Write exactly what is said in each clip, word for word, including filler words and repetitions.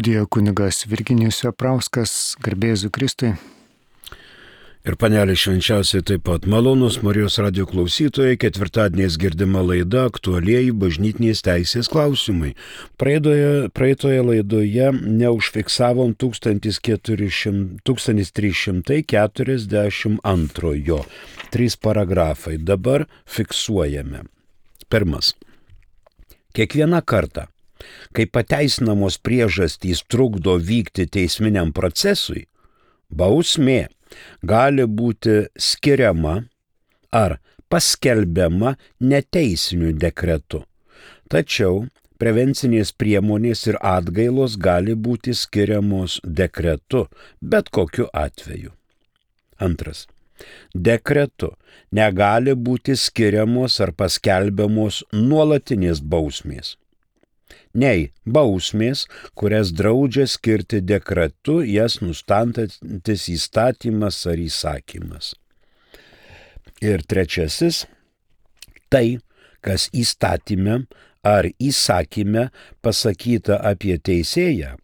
Dėjo kunigas Virginijus Veprauskas, garbė Jėzui Kristui. Ir panelė švenčiausiai taip pat malonus Marijos radijo klausytojai, ketvirtadieniais girdima laida aktualieji bažnytinės teisės klausimai. Praeidoje, praeitoje laidoje neužfiksavom tūkstantis trys šimtai keturiasdešimt antrojo. Trys paragrafai. Dabar fiksuojame. Pirmas. Kiekvieną kartą, kai pateisinamos priežastys trukdo vykti teisminiam procesui, bausmė gali būti skiriama ar paskelbiama neteisiniu dekretu. Tačiau prevencinės priemonės ir atgailos gali būti skiriamos dekretu, bet kokiu atveju. Antras. Dekretu negali būti skiriamos ar paskelbiamos nuolatinės bausmės. Nei bausmės, kurias draudžia skirti dekretu, jas nustatantis įstatymas ar įsakymas. Ir trečiasis, tai, kas įstatyme ar įsakyme pasakyta apie teisėją,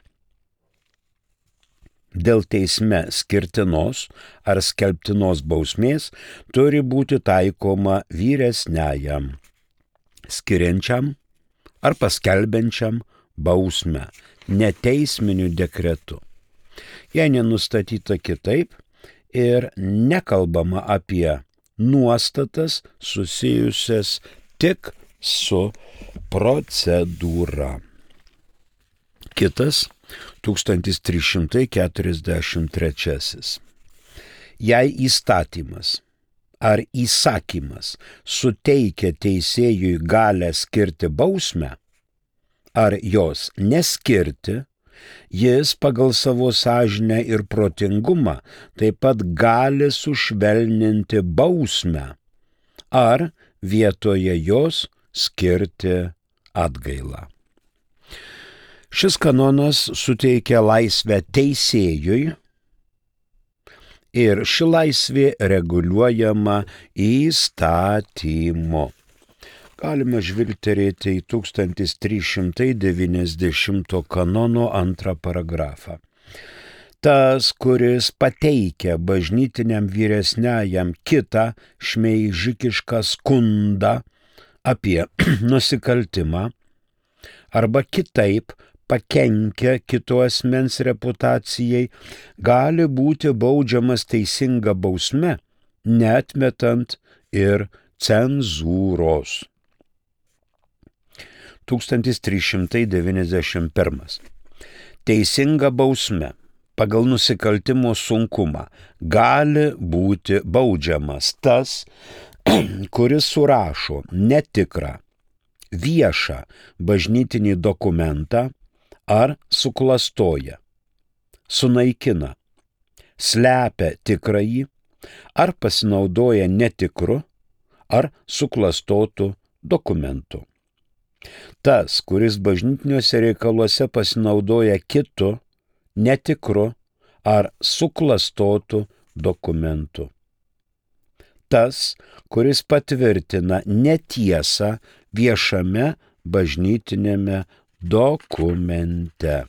dėl teisme skirtinos ar skelbtinos bausmės turi būti taikoma vyresniajam, skiriančiam ar paskelbiančiam bausmę neteisminiu dekretu. Jei nenustatyta kitaip ir nekalbama apie nuostatas susijusias tik su procedūra. Kitas tūkstantis trys šimtai keturiasdešimt trečiasis. Jei įstatymas ar įsakymas suteikia teisėjui galią skirti bausmę, ar jos neskirti, jis pagal savo sąžinę ir protingumą taip pat gali sušvelninti bausmę, ar vietoje jos skirti atgailą. Šis kanonas suteikia laisvę teisėjui, ir ši laisvė reguliuojama įstatymu. Galime žvilgterėti į tūkstantis trys šimtai devyniasdešimto kanono antrą paragrafą. Tas, kuris pateikia bažnytiniam vyresniajam kitą šmeižikišką skundą apie nusikaltimą arba kitaip pakenkia kito asmens reputacijai, gali būti baudžiamas teisinga bausme, neatmetant ir cenzūros. tūkstantis trys šimtai devyniasdešimt pirmas. Teisinga bausme pagal nusikaltimo sunkumą gali būti baudžiamas tas, kuris surašo netikrą, viešą bažnytinį dokumentą, ar suklastoja, sunaikina, slepia tikrąjį, ar pasinaudoja netikru, ar suklastotų dokumentu. Tas, kuris bažnytiniuose reikaluose pasinaudoja kitu, netikru, ar suklastotų dokumentu. Tas, kuris patvirtina netiesą viešame bažnytinėme dokumente.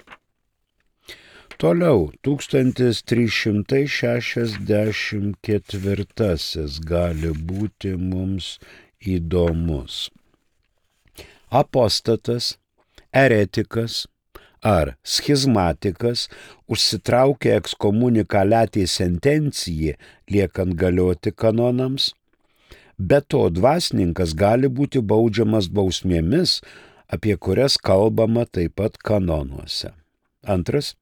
Toliau, tūkstantis trys šimtai šešiasdešimt ketvirtasis gali būti mums įdomus. Apostatas, eretikas ar schizmatikas užsitraukia ekskomunikaliatį sentenciją, liekant galioti kanonams. Be to, dvasininkas gali būti baudžiamas bausmėmis, apie kurias kalbama taip pat kanonuose. Antras,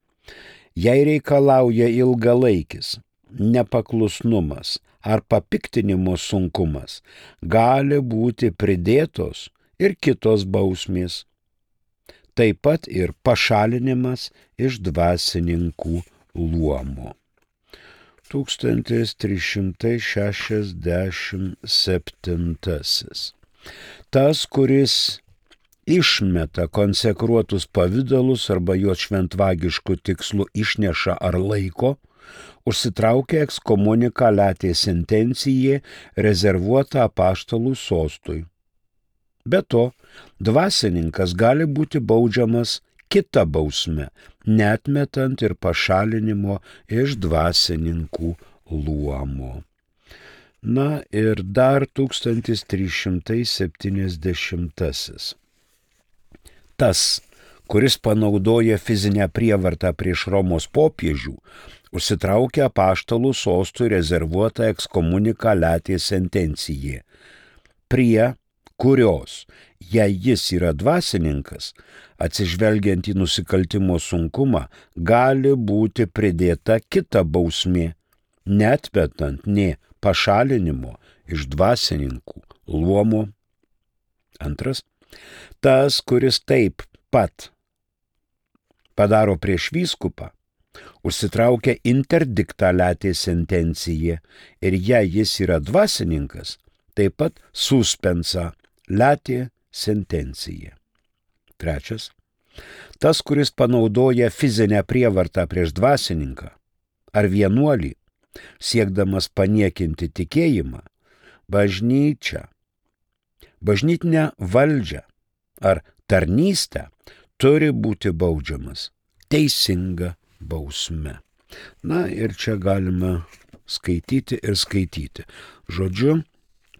jei reikalauja ilgalaikis nepaklusnumas ar papiktinimo sunkumas, gali būti pridėtos ir kitos bausmės, taip pat ir pašalinimas iš dvasininkų luomo. tūkstantis trys šimtai šešiasdešimt septintasis. Tas, kuris išmeta konsekruotus pavidalus arba juos šventvagiškų tikslų išneša ar laiko, užsitraukia ekskomunikaliatė sentencija rezervuota apaštalų sostui. Be to, dvasininkas gali būti baudžiamas kita bausme, neatmetant ir pašalinimo iš dvasininkų luomo. Na ir dar tūkstantis trys šimtai septyniasdešimtasis. Tas, kuris panaudoja fizinę prievartą prieš Romos popiežių, užsitraukia apaštalų sostui rezervuotą ekskomunikaliatė sentenciją, prie kurios, jei jis yra dvasininkas, atsižvelgiant į nusikaltimo sunkumą, gali būti pridėta kita bausmė, neatmetant nė pašalinimo iš dvasininkų luomo. Antras, tas, kuris taip pat padaro prieš vyskupą, užsitraukia interdiktą latė sentenciją ir jei jis yra dvasininkas, taip pat suspensa latė sentencija. Trečias, tas, kuris panaudoja fizinę prievartą prieš dvasininką ar vienuolį, siekdamas paniekinti tikėjimą, bažnyčią, bažnytinę valdžią ar tarnystę, turi būti baudžiamas teisinga bausme. Na ir čia galime skaityti ir skaityti. Žodžiu,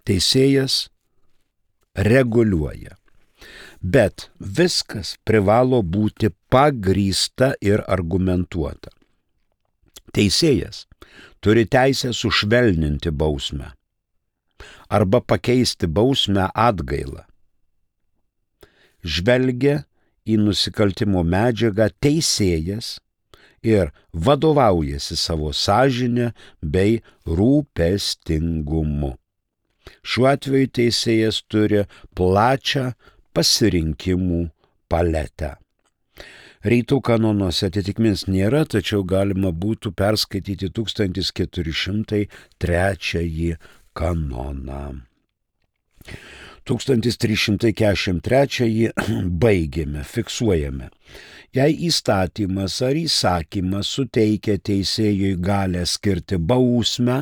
teisėjas reguliuoja. Bet viskas privalo būti pagrįsta ir argumentuota. Teisėjas turi teisę sušvelninti bausmę arba pakeisti bausmę atgailą. Žvelgia į nusikaltimo medžiagą teisėjas ir vadovaujasi savo sąžinę bei rūpestingumu. Šiuo atveju teisėjas turi plačią pasirinkimų paletę. Rytų kanonuose atitikmens nėra, tačiau galima būtų perskaityti tūkstantis keturi šimtai trečiąjį kanoną. tūkstantis trys šimtai keturiasdešimt trečiąjį baigėme, fiksuojame. Jei įstatymas ar įsakymas suteikia teisėjui galę skirti bausmę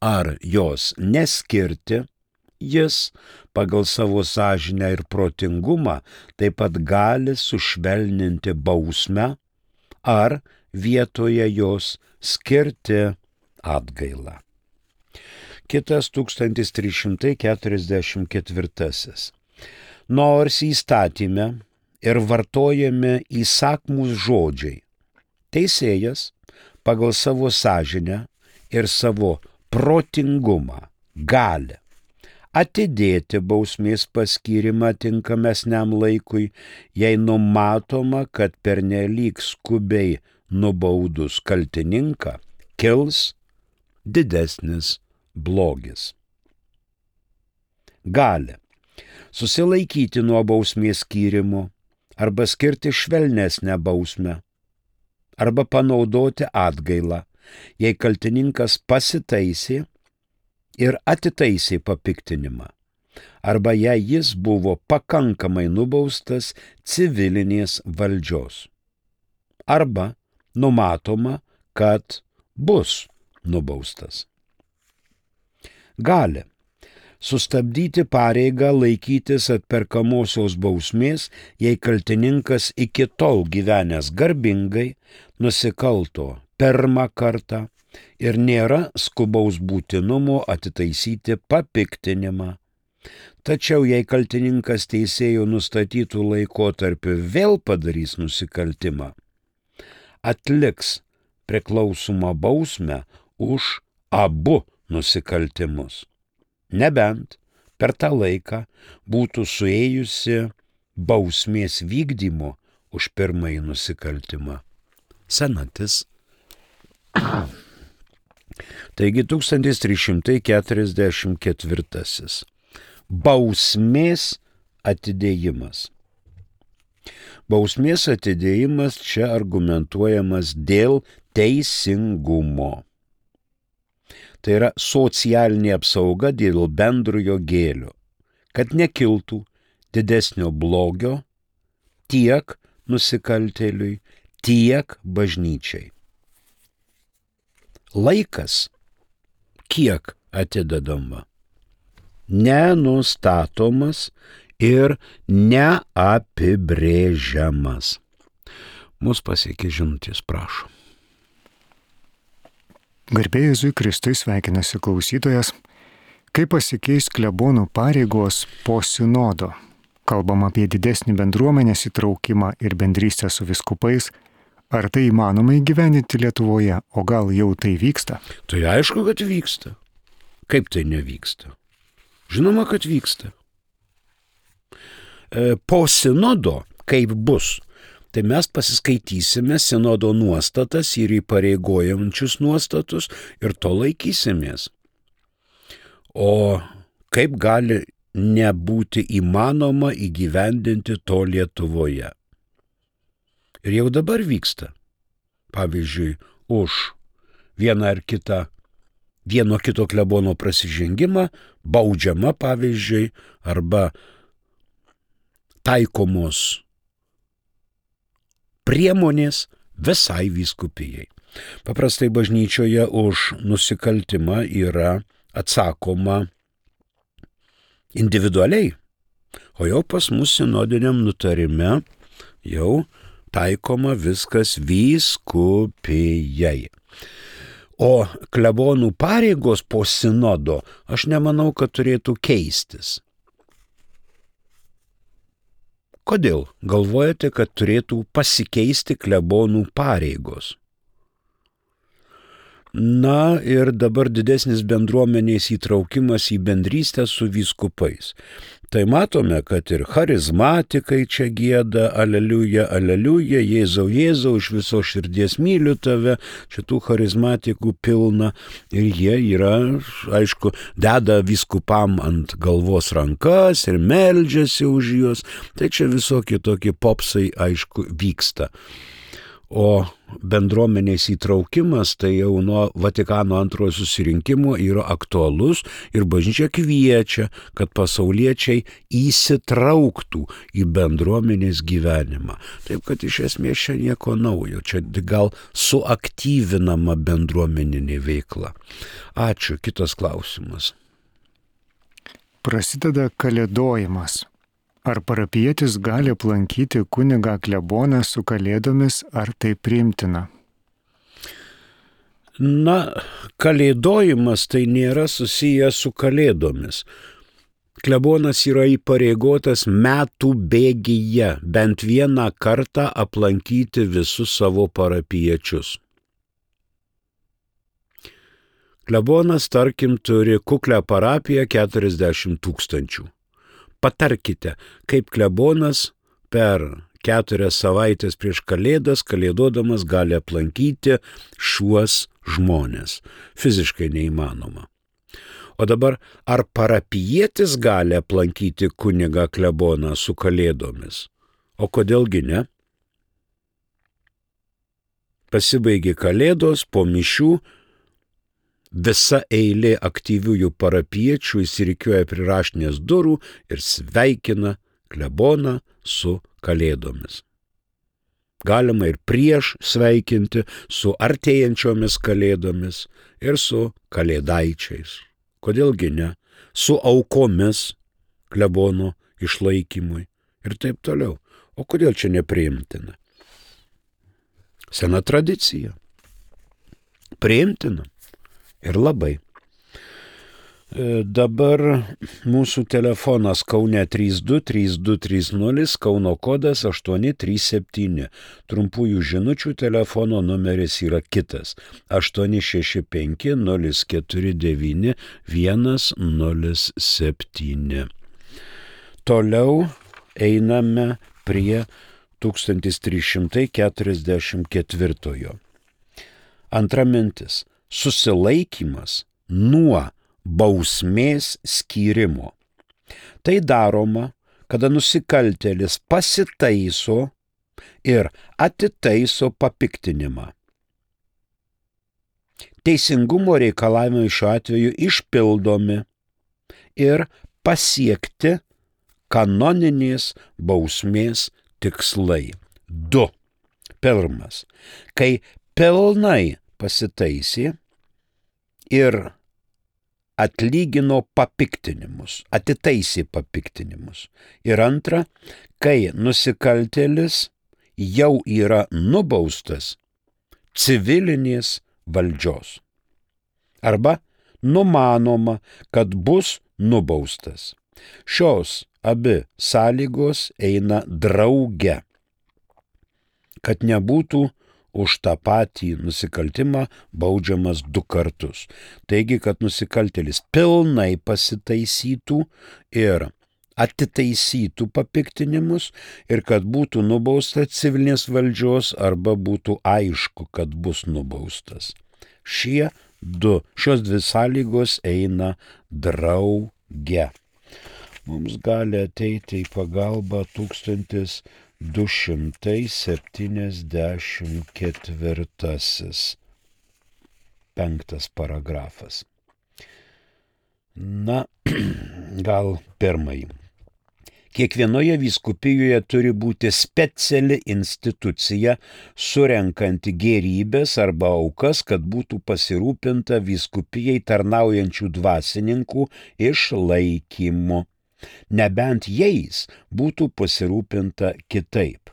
ar jos neskirti, jis pagal savo sąžinę ir protingumą taip pat gali sušvelninti bausmę ar vietoje jos skirti atgailą. Kitas tūkstantis trys šimtai keturiasdešimt ketvirtasis. Nors įstatyme ir vartojami įsakmūs žodžiai, teisėjas pagal savo sąžinę ir savo protingumą gali atidėti bausmės paskyrimą tinkamesniam laikui, jei numatoma, kad pernelyg skubiai nubaudus kaltininką kils didesnis blogis. Gali susilaikyti nuo bausmės skyrimo arba skirti švelnesnę bausmę arba panaudoti atgailą, jei kaltininkas pasitaisė ir atitaisė papiktinimą, arba jei jis buvo pakankamai nubaustas civilinės valdžios, arba numatoma, kad bus nubaustas. Gali sustabdyti pareigą laikytis atperkamosios bausmės, jei kaltininkas iki tol gyvenęs garbingai nusikalto pirmą kartą ir nėra skubaus būtinumo atitaisyti papiktinimą. Tačiau jei kaltininkas teisėjo nustatytų laikotarpiu vėl padarys nusikaltimą, atliks priklausomą bausmę už abu nusikaltimus, nebent per tą laiką būtų suėjusi bausmės vykdymo už pirmąjį nusikaltimą senatis. Taigi tūkstantis trys šimtai keturiasdešimt ketvirtasis. Bausmės atidėjimas. Bausmės atidėjimas čia argumentuojamas dėl teisingumo. Tai yra socialinė apsauga dėl bendrojo gėlio, kad nekiltų didesnio blogio tiek nusikaltėliui, tiek bažnyčiai. Laikas, kiek atidedama, nenustatomas ir neapibrėžiamas. Mūsų pasiekė žinutės, prašom. Garbė Jėzui Kristui, sveikinasi klausytojas. Kaip pasikeis klebonų pareigos po sinodo? Kalbam apie didesnį bendruomenės įtraukimą ir bendrystę su vyskupais. Ar tai įmanoma įgyvendinti Lietuvoje, o gal jau tai vyksta? Tai aišku, kad vyksta. Kaip tai nevyksta? Žinoma, kad vyksta. E, po sinodo, kaip bus, tai mes pasiskaitysime sinodo nuostatas ir įpareigojančius nuostatus ir to laikysimės. O kaip gali nebūti įmanoma įgyvendinti to Lietuvoje? Ir jau dabar vyksta. Pavyzdžiui, už vieną ar kitą, vieno kito klebono prasižengimą baudžiama, pavyzdžiui, arba taikomos priemonės visai vyskupijai. Paprastai bažnyčioje už nusikaltimą yra atsakoma individualiai, o jau pas mus sinodiniam nutarime jau taikoma viskas vyskupijai. O klebonų pareigos po sinodo aš nemanau, kad turėtų keistis. Kodėl galvojate, kad turėtų pasikeisti klebonų pareigos? Na ir dabar didesnis bendruomenės įtraukimas į bendrystę su vyskupais. Tai matome, kad ir charizmatikai čia gieda, aleliuja, aleliuja, Jėzau, Jėzau, iš viso širdies myliu tave, šitų charizmatikų pilna ir jie yra, aišku, deda vyskupam ant galvos rankas ir meldžiasi už juos, tai čia visokie tokie popsai, aišku, vyksta. O bendruomenės įtraukimas tai jau nuo Vatikano antrojo susirinkimo yra aktualus ir bažnyčia kviečia, kad pasauliečiai įsitrauktų į bendruomenės gyvenimą. Taip, kad iš esmės čia nieko naujo, čia gal suaktyvinama bendruomeninė veikla. Ačiū, kitas klausimas. Prasideda kalėdojimas. Ar parapijietis gali aplankyti kunigą kleboną su kalėdomis, ar tai priimtina? Na, kalėdojimas tai nėra susijęs su kalėdomis. Klebonas yra įpareigotas metų bėgyje bent vieną kartą aplankyti visus savo parapijiečius. Klebonas, tarkim, turi kuklią parapiją keturiasdešimt tūkstančių. Patarkite, kaip klebonas per keturias savaitės prieš kalėdas, kalėdodamas gali aplankyti šiuos žmonės. Fiziškai neįmanoma. O dabar, ar parapijietis gali aplankyti kunigą kleboną su kalėdomis? O kodėlgi ne? Pasibaigė kalėdos, po mišių, visa eilė aktyviųjų parapiečių įsirikiuoja prie raštinės durų ir sveikina kleboną su kalėdomis. Galima ir prieš sveikinti su artėjančiomis kalėdomis ir su kalėdaičiais. Kodėlgi ne? Su aukomis klebono išlaikymui ir taip toliau. O kodėl čia nepriimtina? Sena tradicija. Priimtina. Ir labai. Dabar mūsų telefonas Kaune trys du trys du trys nulis, Kauno kodas aštuoni trys septyni. Trumpųjų žinučių telefono numeris yra kitas aštuoni šeši penki nulis keturi devyni vienas nulis septyni. Toliau einame prie tūkstantis trys šimtai keturiasdešimt ketvirtojo. Antra mintis. Susilaikymas nuo bausmės skyrimo. Tai daroma, kada nusikaltėlis pasitaiso ir atitaiso papiktinimą. Teisingumo reikalavimai šiuo atveju išpildomi ir pasiekti kanoninės bausmės tikslai. Du. Pirmas. Kai pilnai pasitaisė ir atlygino papiktinimus, atitaisė papiktinimus. Ir antra, kai nusikaltėlis jau yra nubaustas civilinės valdžios. Arba numanoma, kad bus nubaustas. Šios abi sąlygos eina drauge, kad nebūtų už tą patį nusikaltimą baudžiamas du kartus. Taigi, kad nusikaltėlis pilnai pasitaisytų ir atitaisytų papiktinimus ir kad būtų nubaustas civilinės valdžios arba būtų aišku, kad bus nubaustas. Šie du, šios dvi sąlygos eina drauge. Mums gali ateiti į pagalbą tūkstantis du šimtai septyniasdešimt ketvirtasis penktas paragrafas. Na, gal pirmąjį. Kiekvienoje vyskupijoje turi būti speciali institucija, surenkanti gėrybės arba aukas, kad būtų pasirūpinta vyskupijai tarnaujančių dvasininkų išlaikymu, nebent jais būtų pasirūpinta kitaip.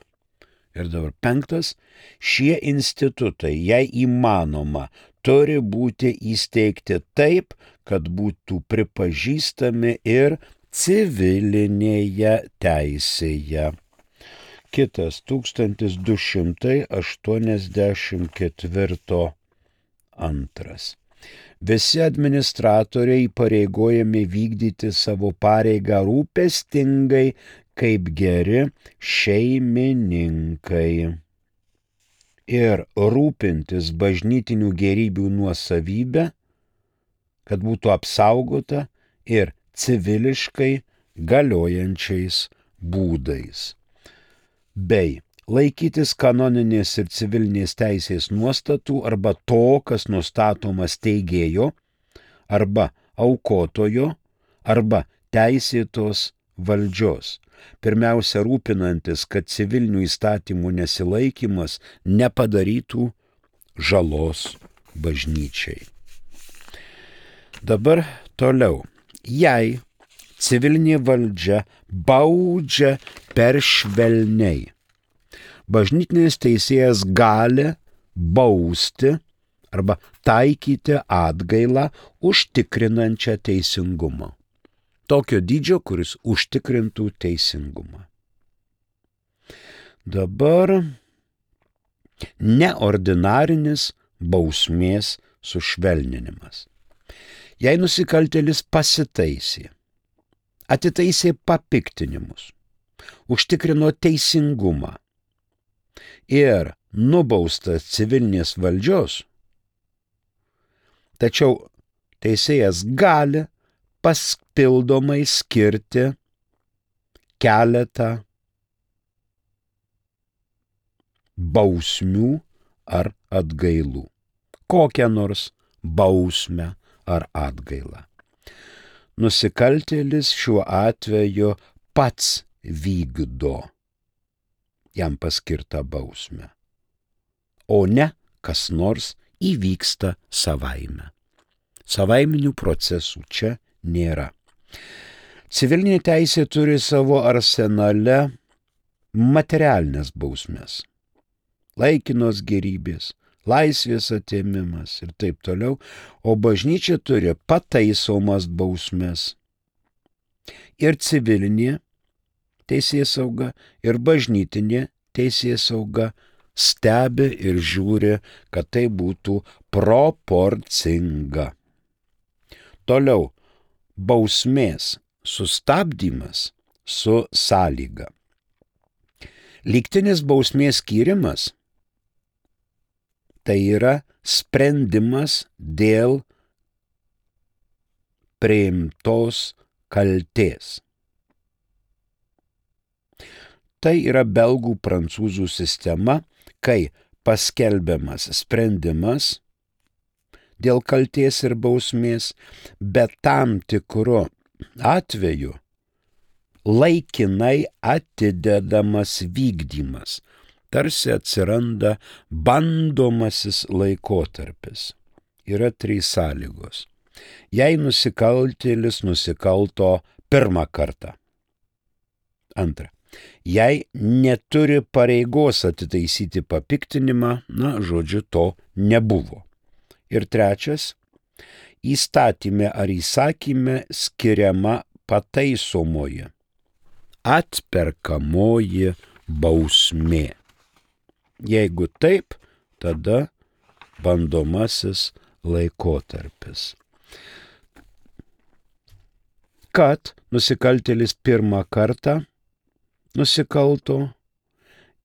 Ir dabar penktas, šie institutai, jei įmanoma, turi būti įsteigti taip, kad būtų pripažįstami ir civilinėje teisėje. Kitas tūkstantis du šimtai aštuoniasdešimt ketvirto antras. Visi administratoriai įpareigojami vykdyti savo pareigą rūpestingai kaip geri šeimininkai ir rūpintis bažnytinių gėrybių nuosavybę, kad būtų apsaugota ir civiliškai galiojančiais būdais, bei laikytis kanoninės ir civilinės teisės nuostatų arba to, kas nustatoma steigėjo, arba aukotojo, arba teisėtos valdžios. Pirmiausia, rūpinantis, kad civilinių įstatymų nesilaikymas nepadarytų žalos bažnyčiai. Dabar toliau. Jei civilinė valdžia baudžia per švelniai, bažnytinis teisėjas gali bausti arba taikyti atgailą užtikrinančią teisingumą. Tokio dydžio, kuris užtikrintų teisingumą. Dabar neordinarinis bausmės sušvelninimas. Jei nusikaltėlis pasitaisė, atitaisė papiktinimus, užtikrino teisingumą ir nubaustas civilinės valdžios, tačiau teisėjas gali papildomai skirti keletą bausmių ar atgailų. Kokią nors bausmę ar atgailą. Nusikaltėlis šiuo atveju pats vykdo jam paskirtą bausmę, o ne kas nors įvyksta savaime. Savaiminių procesų čia nėra. Civilinė teisė turi savo arsenale materialinės bausmės, laikinos gėrybės, laisvės atėmimas ir taip toliau, o bažnyčia turi pataisomas bausmes. Ir civilinė teisėsauga, ir bažnytinė teisėsauga stebi ir žiūri, kad tai būtų proporcinga. Toliau, bausmės sustabdymas su sąlyga. Lygtinis bausmės skyrimas tai yra sprendimas dėl priimtos kaltės. Tai yra belgų prancūzų sistema, kai paskelbiamas sprendimas dėl kaltės ir bausmės, bet tam tikru atveju laikinai atidedamas vykdymas. Tarsi atsiranda bandomasis laikotarpis. Yra trys sąlygos. Jei nusikaltėlis nusikalto pirmą kartą. Antra. jei neturi pareigos atitaisyti papiktinimą, na, žodžiu, to nebuvo. Ir trečias, įstatyme ar įsakyme skiriama pataisomoji, atperkamoji bausmė. Jeigu taip, tada bandomasis laikotarpis. Kad nusikaltėlis pirmą kartą nusikalto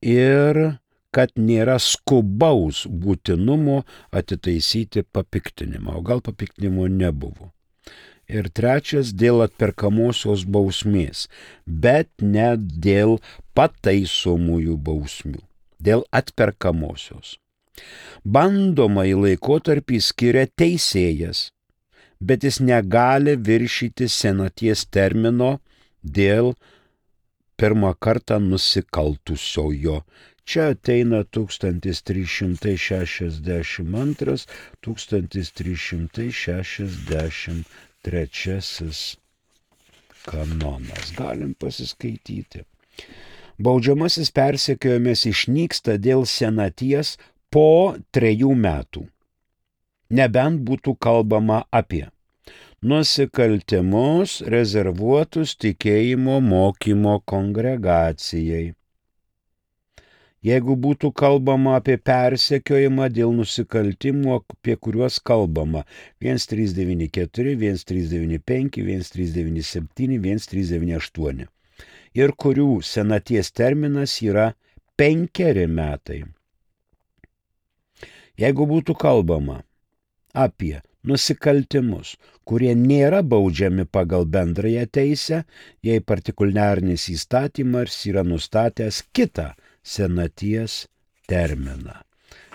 ir kad nėra skubaus būtinumo atitaisyti papiktinimą, o gal papiktinimo nebuvo. Ir trečias, dėl atperkamosios bausmės, bet ne dėl pataisomųjų bausmių, dėl atperkamosios. Bandomąjį laikotarpį skiria teisėjas, bet jis negali viršyti senaties termino dėl pirmą kartą nusikaltusiojo. Čia ateina tūkstantis trys šimtai šešiasdešimt antras - tūkstantis trys šimtai šešiasdešimt trečiasis kanonas. Galim pasiskaityti. Baudžiamasis persekiojimas išnyksta dėl senaties po trejų metų. Nebent būtų kalbama apie nusikaltimus rezervuotus tikėjimo mokymo kongregacijai. Jeigu būtų kalbama apie persekiojimą dėl nusikaltimų, apie kuriuos kalbama vienas trys devyni keturi, vienas trys devyni penki, vienas trys devyni septyni, vienas trys devyni aštuoni ir kurių senaties terminas yra penkeri metai. Jeigu būtų kalbama apie nusikaltimus, kurie nėra baudžiami pagal bendrąją teisę, jei partikuliarinis įstatymas yra nustatęs kitą senaties terminą.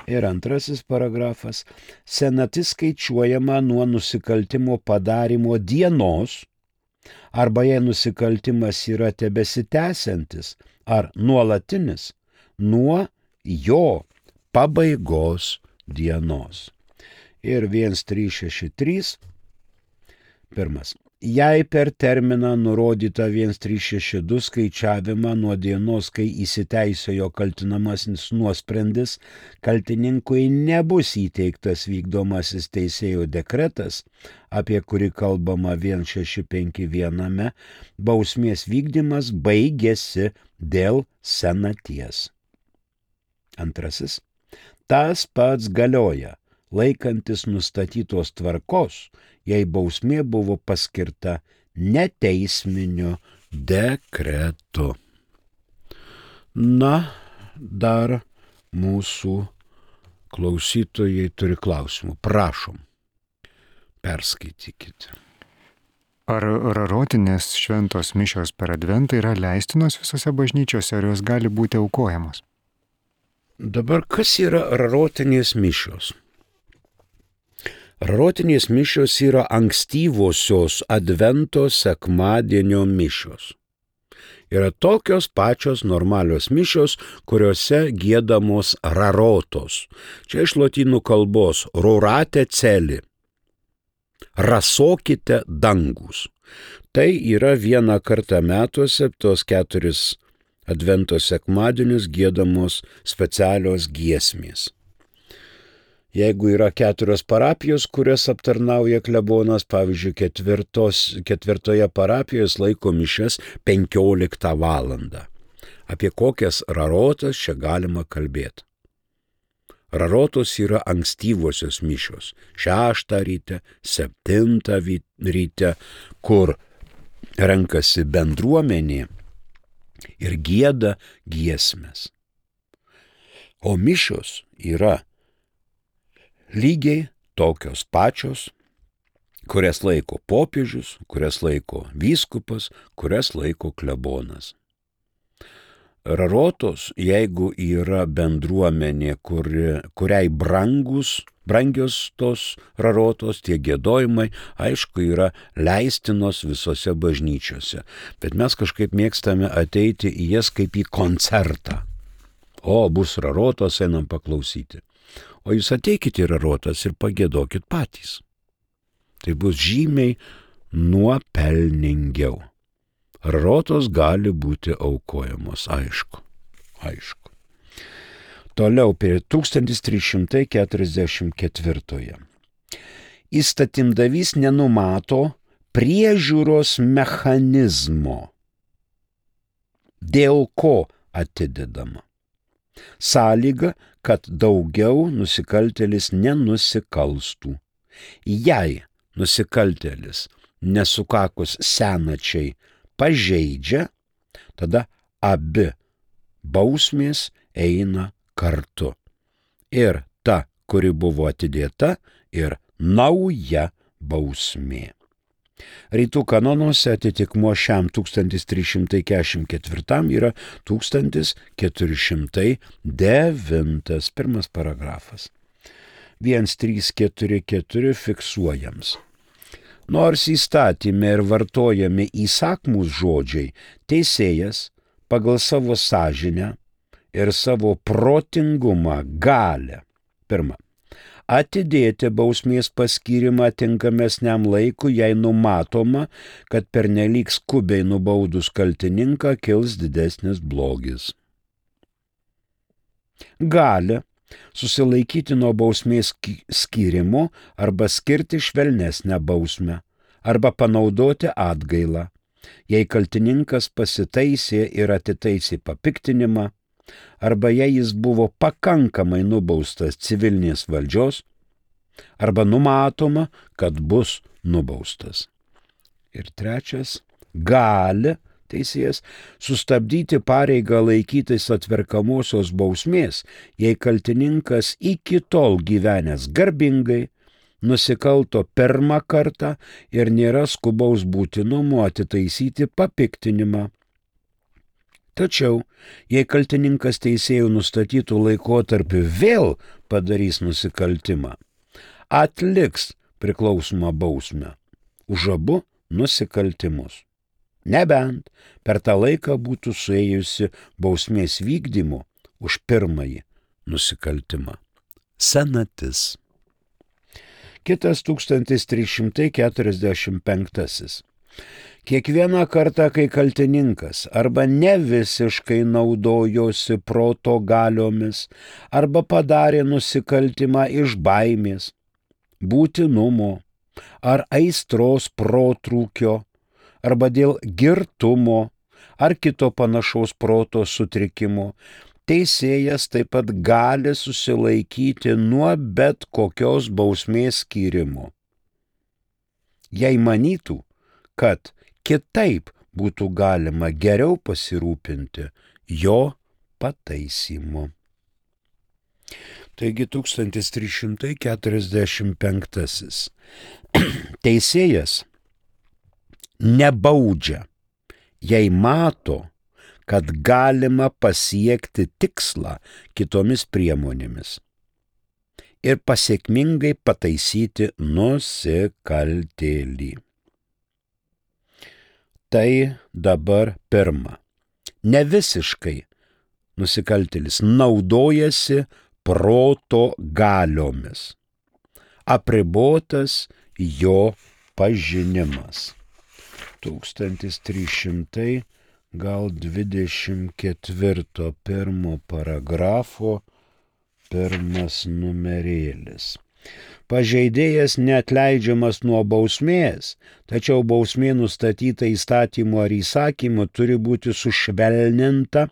Ir antrasis paragrafas. Senatis skaičiuojama nuo nusikaltimo padarimo dienos, arba jei nusikaltimas yra tebesitęsiantis ar nuolatinis, nuo jo pabaigos dienos. Ir vienas trys šeši trys. Pirmas. Jei per terminą nurodytą vienas trys šeši du skaičiavimą nuo dienos, kai įsiteisėjo kaltinamasis nuosprendis, kaltininkui nebus įteiktas vykdomasis teisėjo dekretas, apie kurį kalbama vienas šeši penki viename, bausmės vykdymas baigėsi dėl senaties. Antrasis. Tas pats galioja, laikantis nustatytos tvarkos, jei bausmė buvo paskirta neteisminiu dekretu. Na, dar mūsų klausytojai turi klausimų. Prašom, perskaitykite. Ar rarotinės šventos mišios per adventą yra leistinos visose bažnyčiose, ar jos gali būti aukojamos? Dabar kas yra rarotinės mišios? Rarotinės mišios yra ankstyvosios advento sekmadienio mišios. Yra tokios pačios normalios mišios, kuriuose giedamos rarotos. Čia iš lotynų kalbos rorate celi. Rasokite dangus. Tai yra vieną kartą metuose, tos keturis advento sekmadienius giedamos specialios giesmės. Jeigu yra keturios parapijos, kurias aptarnauja klebonas, pavyzdžiui, ketvirtos, ketvirtoje parapijoje laiko mišias penkioliktą valandą. Apie kokias rarotas čia galima kalbėti? Rarotos yra ankstyvosios mišios. Šeštą ryte, septintą ryte, kur renkasi bendruomenė ir gieda giesmes. O mišios yra lygiai tokios pačios, kurias laiko popiežius, kurias laiko vyskupas, kurias laiko klebonas. Rarotos, jeigu yra bendruomenė, kuri, kuriai brangus, brangios tos rarotos, tie giedojimai, aišku, yra leistinos visose bažnyčiose. Bet mes kažkaip mėgstame ateiti į jas kaip į koncertą. O, bus rarotos, einam paklausyti. O jūs ateikite į rarotas ir pagėdokit patys. Tai bus žymiai nuopelningiau. rarotos gali būti aukojamos, aišku, aišku. Toliau prie tūkstantis trys šimtai keturiasdešimt ketvirtoje. Įstatymdavys nenumato priežiūros mechanizmo, dėl ko atidedama. Sąlyga, kad daugiau nusikaltėlis nenusikalstų. Jei nusikaltėlis nesukakus senačiai pažeidžia, tada abi bausmės eina kartu. Ir ta, kuri buvo atidėta, ir nauja bausmė. Rytų kanonuose atitikmuo šiam tūkstantis trys šimtai keturiasdešimt ketvirtam yra tūkstantis keturi šimtai devintas pirmas paragrafas. vienas trys keturi keturi fiksuojams. Nors įstatyme ir vartojami įsakmūs žodžiai, teisėjas pagal savo sąžinę ir savo protingumą gali, pirma, atidėti bausmės paskyrimą tinkamesniam laikui, jei numatoma, kad pernelyg skubiai nubaudus kaltininką kils didesnis blogis. Gali susilaikyti nuo bausmės skyrimo arba skirti švelnesnę bausmę, arba panaudoti atgailą, jei kaltininkas pasitaisė ir atitaisė papiktinimą, arba jei jis buvo pakankamai nubaustas civilinės valdžios, arba numatoma, kad bus nubaustas. Ir trečias, gali teisėjas sustabdyti pareigą laikytis atverkamosios bausmės, jei kaltininkas iki tol gyvenęs garbingai, nusikalto pirmą kartą ir nėra skubaus būtinumo atitaisyti papiktinimą. Tačiau, jei kaltininkas teisėjų nustatytų laikotarpiu vėl padarys nusikaltimą, atliks priklausomą bausmę už abu nusikaltimus. Nebent per tą laiką būtų suėjusi bausmės vykdymu už pirmąjį nusikaltimą. Senatis. Kitas tūkstantis trys šimtai keturiasdešimt penktasis. Kiekvieną kartą, kai kaltininkas arba ne visiškai naudojosi proto galiomis, arba padarė nusikaltimą iš baimės, būtinumo ar aistros protrūkio, arba dėl girtumo ar kito panašaus proto sutrikimo, teisėjas taip pat gali susilaikyti nuo bet kokios bausmės skyrimo. Jei manytų, kad kitaip būtų galima geriau pasirūpinti jo pataisymu. Taigi tūkstantis trys šimtai keturiasdešimt penktasis. Teisėjas nebaudžia, jei mato, kad galima pasiekti tikslą kitomis priemonėmis ir pasiekmingai pataisyti nusikaltėlį. Tai dabar pirma. Ne visiškai nusikaltėlis naudojasi proto galiomis. Apribotas jo pažinimas. tūkstantis trys šimtai gal dvidešimt ketvirto pirmo paragrafo pirmas numerėlis. Pažeidėjas neatleidžiamas nuo bausmės, tačiau bausmė nustatyta įstatymu ar įsakymu turi būti sušvelninta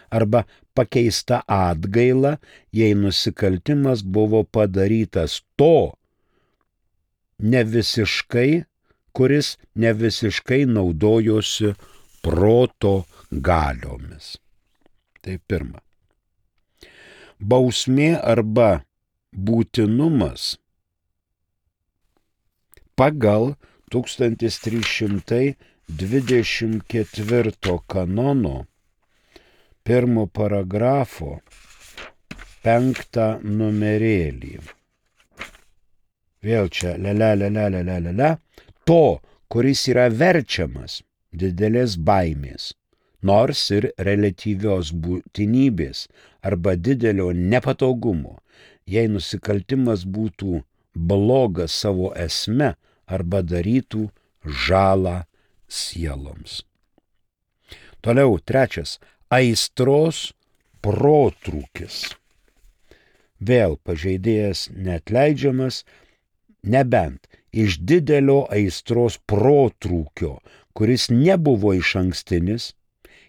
arba pakeista atgaila, jei nusikaltimas buvo padarytas to nevisiškai, kuris nevisiškai naudojosi proto galiomis. Tai pirma. Bausmė arba būtinumas pagal tūkstantis trys šimtai dvidešimt ketvirto kanono pirmo paragrafo penktą numerėlį. Vėl čia lele, lele, lele, lele. To, kuris yra verčiamas didelės baimės, nors ir reliatyvios būtinybės arba didelio nepatogumo, jei nusikaltimas būtų blogas savo esme arba darytų žalą sieloms. Toliau trečias - aistros protrūkis. Vėl pažeidėjas neatleidžiamas, nebent iš didelio aistros protrūkio, kuris nebuvo išankstinis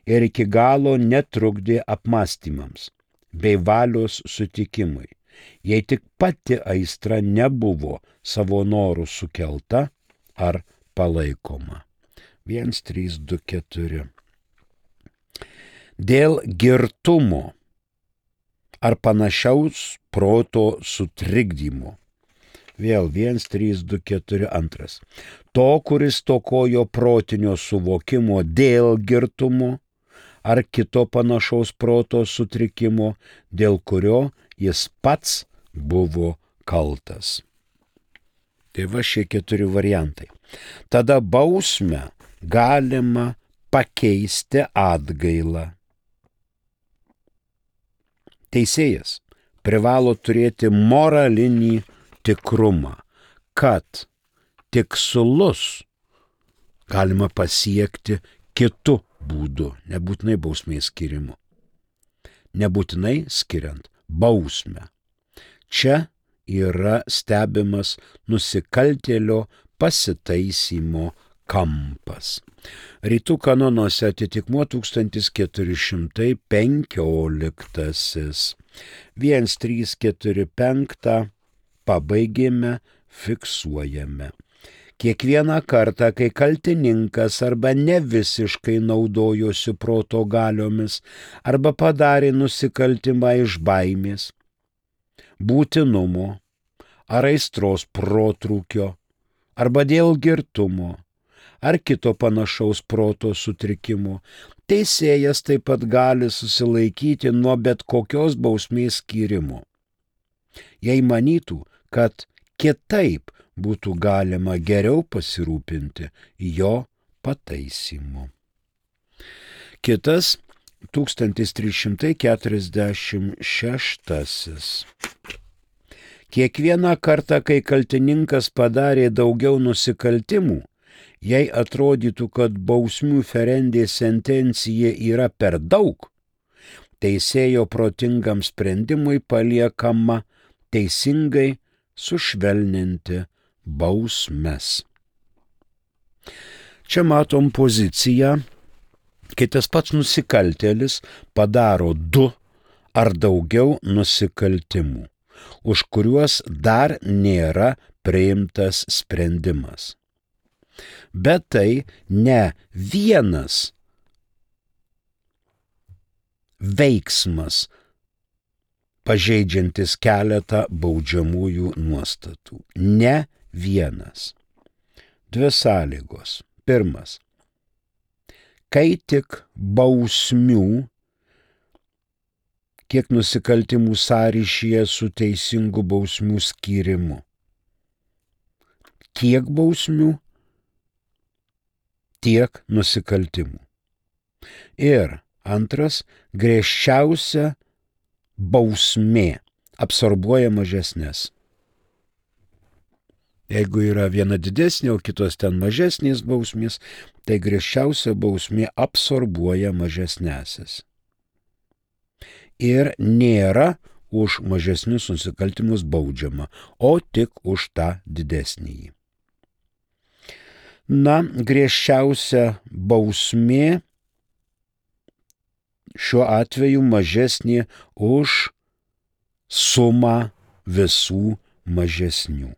ir iki galo netrukdė apmąstymams bei valios sutikimui, jei tik pati aistra nebuvo savo norų sukelta ar palaikoma. vienas, trys, du, keturi. Dėl girtumo ar panašaus proto sutrikdymo. Vėl vienas, trys, du, keturi, antras. To, kuris tokojo protinio suvokimo dėl girtumo ar kito panašaus proto sutrikimo, dėl kurio jis pats buvo kaltas. Tai va šie keturi variantai. Tada bausmę galima pakeisti atgailą. Teisėjas privalo turėti moralinį tikrumą, kad tikslus galima pasiekti kitu būdu, nebūtinai bausmės skirimu. Nebūtinai skiriant bausmę. Čia yra stebimas nusikaltėlio pasitaisymo kampas. Rytų kanonuose atitikmuo tūkstantis keturi šimtai penkioliktasis. vienas, trys, keturi, penki pabaigėme, fiksuojame. Kiekvieną kartą, kai kaltininkas arba ne visiškai naudojosi proto galiomis arba padarė nusikaltimą iš baimės, būtinumo ar aistros protrūkio arba dėl girtumo ar kito panašaus proto sutrikimo, teisėjas taip pat gali susilaikyti nuo bet kokios bausmės skyrimo. Jei manytų, kad kitaip būtų galima geriau pasirūpinti jo pataisymu. Kitas tūkstantis trys šimtai keturiasdešimt šeštasis. Kiekvieną kartą, kai kaltininkas padarė daugiau nusikaltimų, jei atrodytų, kad bausmių ferendė sentencija yra per daug, teisėjo protingam sprendimui paliekama teisingai sušvelninti bausmes. Čia matom poziciją, kai tas pats nusikaltėlis padaro du ar daugiau nusikaltimų, už kuriuos dar nėra priimtas sprendimas. Bet tai ne vienas veiksmas, pažeidžiantis keletą baudžiamųjų nuostatų. Ne vienas. Dvi sąlygos. Pirmas. Kai tik bausmių, kiek nusikaltimų sąryšyje su teisingu bausmių skyrimu. Kiek bausmių, tiek nusikaltimų. Ir antras, griežčiausia bausmė absorbuoja mažesnės. Jeigu yra viena didesnė, o kitos ten mažesnės bausmės, tai griežčiausia bausmė absorbuoja mažesnėsis. Ir nėra už mažesnius nusikaltimus baudžiama, o tik už tą didesnįjį. Na, griežčiausia bausmė šiuo atveju mažesnė už sumą visų mažesnių.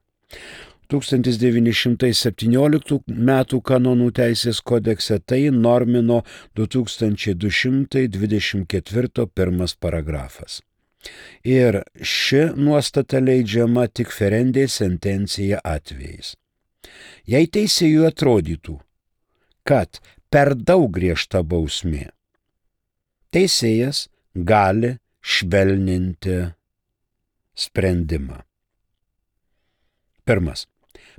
tūkstantis devyni šimtai septynioliktų metų kanonų teisės kodekse tai normino du tūkstančiai du šimtai dvidešimt ketvirto pirmas paragrafas. Ir ši nuostata leidžiama tik ferendė sentencija atvejais. Jei teisėjui atrodytų, kad per daug griežta bausmė, teisėjas gali švelninti sprendimą. Pirmas.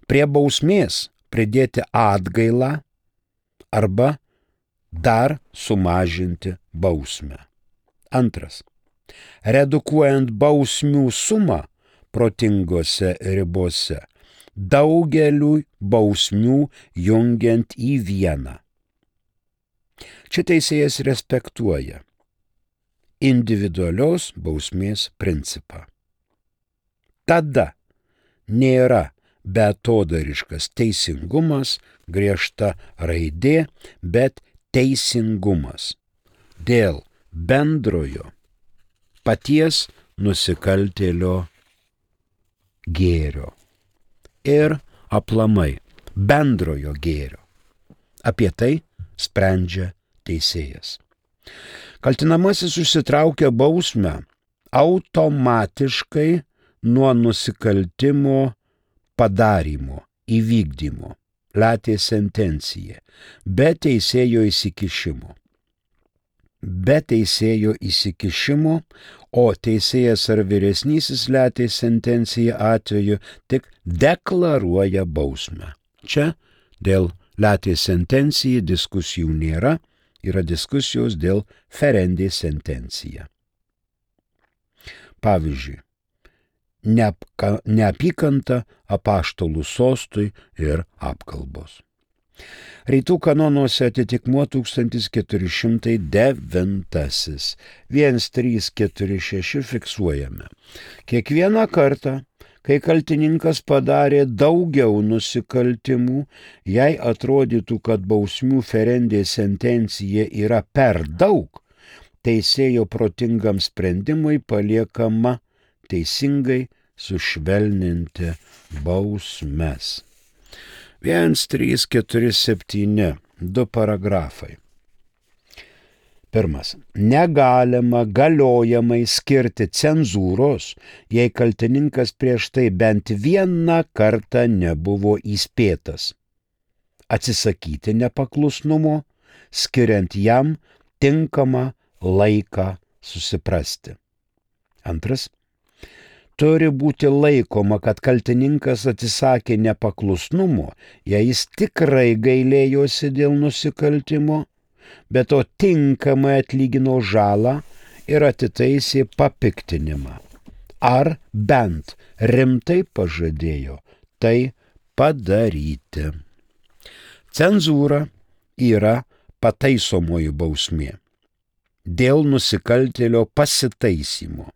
Prie bausmės pridėti atgailą arba dar sumažinti bausmę. Antras. Redukuojant bausmių sumą protingose ribose, daugeliu bausmių jungiant į vieną. Čia teisėjas respektuoja individualios bausmės principą. Tada nėra beatodariškas teisingumas, griežta raidė, bet teisingumas dėl bendrojo paties nusikaltėlio gėrio ir aplamai bendrojo gėrio. Apie tai sprendžia teisėjas. Kaltinamasis užsitraukia bausmę automatiškai nuo nusikaltimo padarymo, įvykdymo, latė sentencija, be teisėjo įsikišimo. Be teisėjo įsikišimo, o teisėjas ar vyresnysis latė sentenciją atveju tik deklaruoja bausmę. Čia dėl latė sentencijai diskusijų nėra, yra diskusijos dėl ferendė sentencija. Pavyzdžiui, neapka, neapykanta apaštalų sostui ir apkalbos. Rytų kanonuose atitikmuo tūkstantis keturi šimtai devintasis. vienas trys keturi šeši fiksuojame. Kiekvieną kartą, kai kaltininkas padarė daugiau nusikaltimų, jei atrodytų, kad bausmių ferendė sentencija yra per daug, teisėjo protingam sprendimui paliekama teisingai sušvelninti bausmes. vienas trys keturi septyni, du paragrafai. Pirmas. Negalima galiojamai skirti cenzūros, jei kaltininkas prieš tai bent vieną kartą nebuvo įspėtas. Atsisakyti nepaklusnumo, skiriant jam tinkamą laiką susiprasti. Antras. Turi būti laikoma, kad kaltininkas atsisakė nepaklusnumo, jei jis tikrai gailėjosi dėl nusikaltimo, bet to tinkamai atlygino žalą ir atitaisė papiktinimą. Ar bent rimtai pažadėjo tai padaryti. Cenzūra yra pataisomoji bausmė dėl nusikaltėlio pasitaisymo.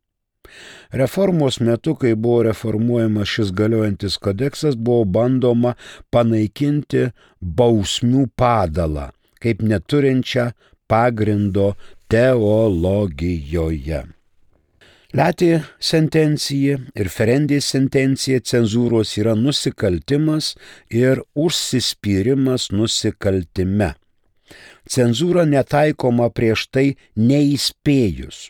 Reformos metu, kai buvo reformuojamas šis galiojantis kodeksas, buvo bandoma panaikinti bausmių padalą, kaip neturinčią pagrindo teologijoje. Latė sentencija ir ferendė sentencija cenzūros yra nusikaltimas ir užsispyrimas nusikaltime. Cenzūra netaikoma prieš tai neįspėjus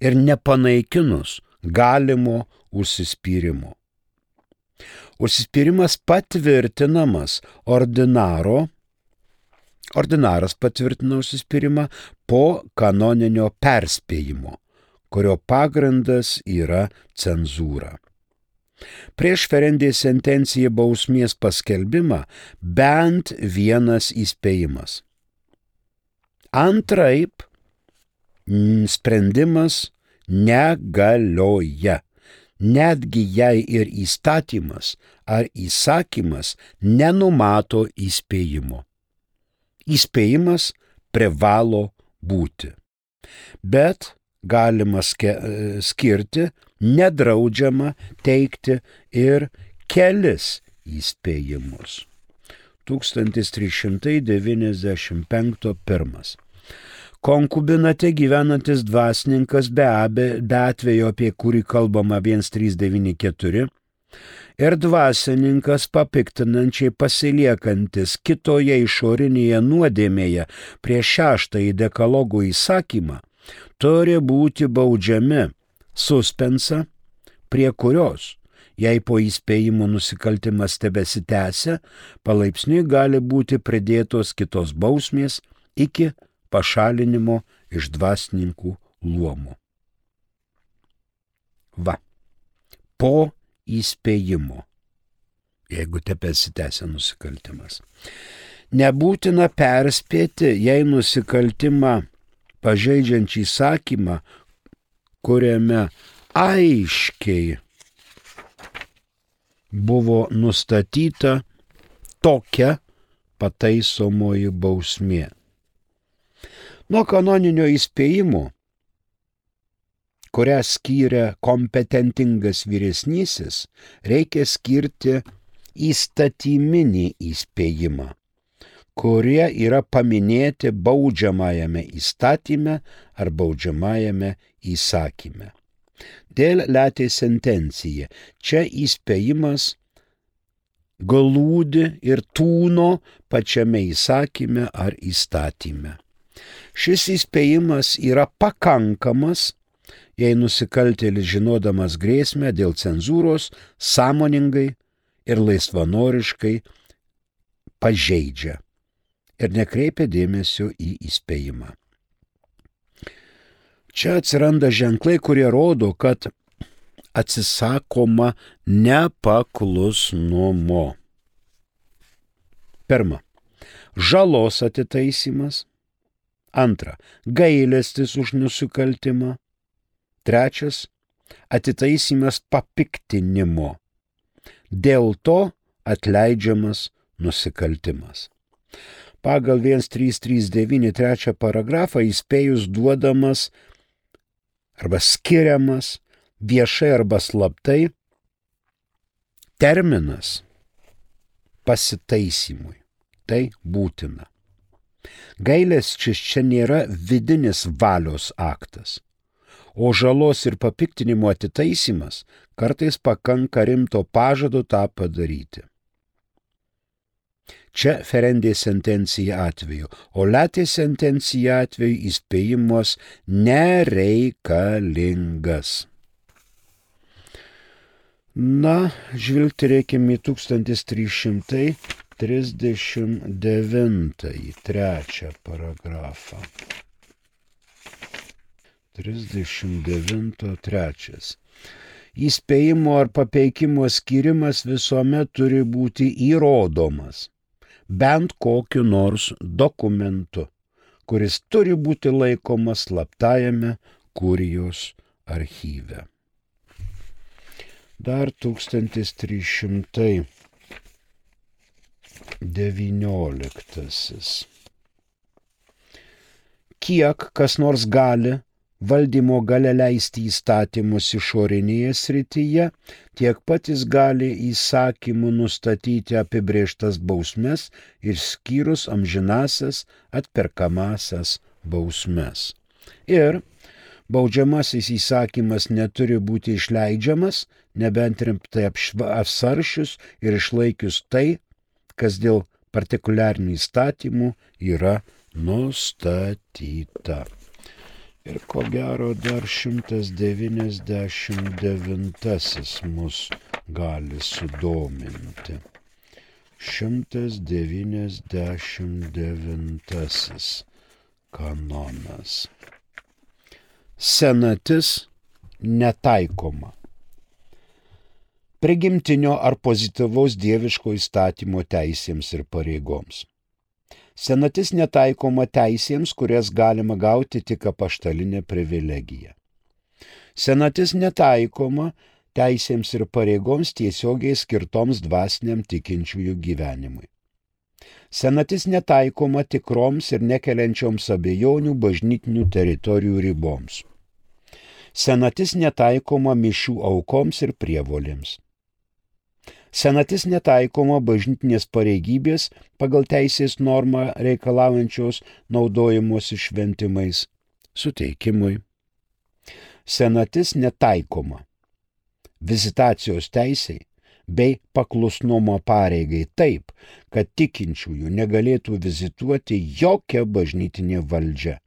ir nepanaikinus galimo užsispyrimo. Užsispyrimas patvirtinamas ordinaro, ordinaras patvirtina užsispyrimą po kanoninio perspėjimo, kurio pagrindas yra cenzūra. Prieš ferendė sentenciją bausmės paskelbimą bent vienas įspėjimas. Antraip, sprendimas negalioja, netgi jei ir įstatymas ar įsakymas nenumato įspėjimo. Įspėjimas privalo būti, bet galima skirti, nedraudžiama teikti ir kelis įspėjimus. tūkstantis trys šimtai devyniasdešimt penktas pirmas. Konkubinate gyvenantis dvasininkas be, abe, be atvejo, apie kurį kalbama vienas trys devyni keturi, ir dvasininkas papiktinančiai pasiliekantis kitoje išorinėje nuodėmėje prieš šeštąjį dekalogo įsakymą, turi būti baudžiami suspensa, prie kurios, jei po įspėjimo nusikaltimas tebesitęsia, palaipsniui gali būti pridėtos kitos bausmės iki pašalinimo iš dvasininkų luomų. Va, po įspėjimo, jeigu tebesitęsia nusikaltimas. Nebūtina perspėti, jei nusikaltimą pažeidžiančią įsakymą, kuriame aiškiai buvo nustatyta tokia pataisomoji bausmė. Nuo kanoninio įspėjimo, kurią skyrė kompetentingas vyresnysis, reikia skirti įstatyminį įspėjimą, kurie yra paminėti baudžiamajame įstatyme ar baudžiamajame įsakyme. Dėl letė sentencija. Čia įspėjimas glūdi ir tūno pačiame įsakyme ar įstatyme. Šis įspėjimas yra pakankamas, jei nusikaltėlis žinodamas grėsmę dėl cenzūros sąmoningai ir laisvanoriškai pažeidžia ir nekreipia dėmesio į įspėjimą. Čia atsiranda ženklai, kurie rodo, kad atsisakoma nepaklusnumo. Pirma, žalos atitaisymas. Antra, gailestis už nusikaltimą. Trečias, atitaisymas papiktinimo. Dėl to atleidžiamas nusikaltimas. Pagal vienas trys trys devyni trečią paragrafą įspėjus duodamas arba skiriamas viešai arba slaptai terminas pasitaisymui. Tai būtina. Gailestis čia nėra vidinis valios aktas, o žalos ir papiktinimo atitaisymas kartais pakanka rimto pažado tą padaryti. Čia ferendė sentencija atveju, o letė sentencija atveju įspėjimas nereikalingas. Na, žvilgti reikime į tūkstantis trys šimtai trisdešimt devintąjį trečią paragrafą. trisdešimt devinto trečias. Įspėjimo ar papeikimo skirimas visuomet turi būti įrodomas bent kokiu nors dokumentu, kuris turi būti laikomas slaptajame kurijos archyve. Dar tūkstantis trys šimtai devynioliktasis. Kiek kas nors gali valdymo galia leisti įstatymus išorinėje srityje, tiek pat jis gali įsakymu nustatyti apibrėžtas bausmes ir skyrus amžinasias atperkamasias bausmes. Ir baudžiamasis įsakymas neturi būti išleidžiamas, nebent rimtai apsvaršius ir išlaikius tai, kas dėl partikuliarinių įstatymų yra nustatyta. Ir ko gero dar šimtas devyniasdešimt devintasis mus gali sudominti. šimtas devyniasdešimt devintasis kanonas. Senatis netaikoma. Prigimtinio ar pozityvaus dieviško įstatymo teisėms ir pareigoms. Senatis netaikoma teisėms, kurias galima gauti tik apaštalinė privilegija. Senatis netaikoma teisėms ir pareigoms tiesiogiai skirtoms dvasiniam tikinčiųjų gyvenimui. Senatis netaikoma tikroms ir nekeliančioms abejonių bažnytinių teritorijų riboms. Senatis netaikoma mišių aukoms ir prievolėms. Senatis netaikoma bažnytinės pareigybės pagal teisės normą reikalaujančios naudojimosi šventimais suteikimui. Senatis netaikoma vizitacijos teisei bei paklusnumo pareigai taip, kad tikinčiųjų negalėtų vizituoti jokia bažnytinė valdžia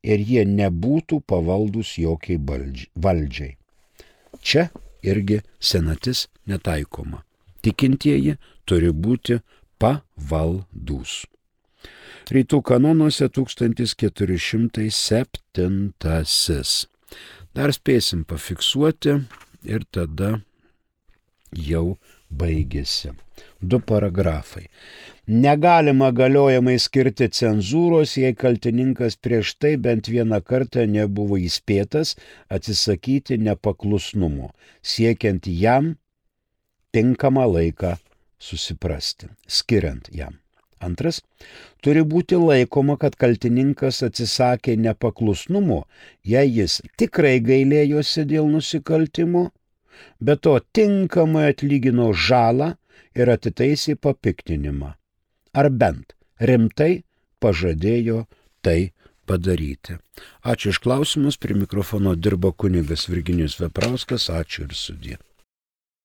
ir jie nebūtų pavaldus jokiai valdžiai. Čia irgi senatis netaikoma. Tikintieji turi būti pavaldūs. Rytų kanonuose tūkstantis keturi šimtai septintasis. Dar spėsim pafiksuoti ir tada jau baigėsi. Du paragrafai. Negalima galiojamai skirti cenzūros, jei kaltininkas prieš tai bent vieną kartą nebuvo įspėtas atsisakyti nepaklusnumo, siekiant jam tinkamą laiką susiprasti, skiriant jam. Antras, turi būti laikoma, kad kaltininkas atsisakė nepaklusnumo, jei jis tikrai gailėjosi dėl nusikaltimo, bet to tinkamai atlygino žalą ir atitaisė papiktinimą. Ar bent rimtai pažadėjo tai padaryti. Ačiū iš klausimus, prie mikrofono dirbo kunigas Virginijus Veprauskas, ačiū ir sudie.